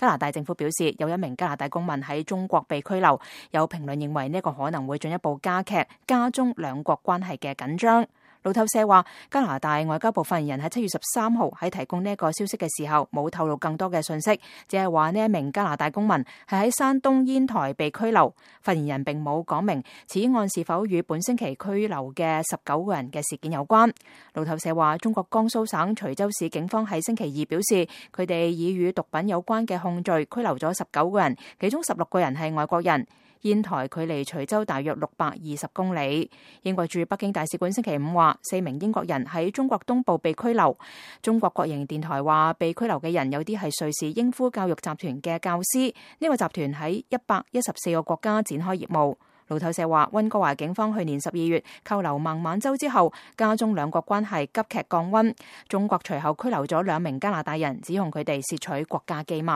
加拿大政府表示，有一名加拿大公民喺中國被拘留，有評論認為呢個可能會進一步加中兩國關係嘅緊張。路透社話，加拿大外交部發言人喺7月13號喺提供呢個消息嘅時候，冇透露更多嘅信息，只係話呢一名加拿大公民係喺山東煙台被拘留。發言人並冇講明此案是否與本星期拘留嘅19個人嘅事件有關。路透社話，中國江蘇省徐州市警方喺星期二表示，佢哋以與毒品有關嘅控罪拘留咗19個人，其中16個人係外國人。煙台距離徐州大約620公里。英國駐北京大使館星期五話，4名英國人喺中國東部被拘留。中國國營電台話，被拘留嘅人有啲係瑞士英孚教育集團嘅教師，呢個集團喺114個國家展開業務。路透社話，溫哥華警方去年12月扣留孟晚舟之後，加中兩國關係急劇降溫。中國隨後拘留咗2名加拿大人，指控佢哋竊取國家機密。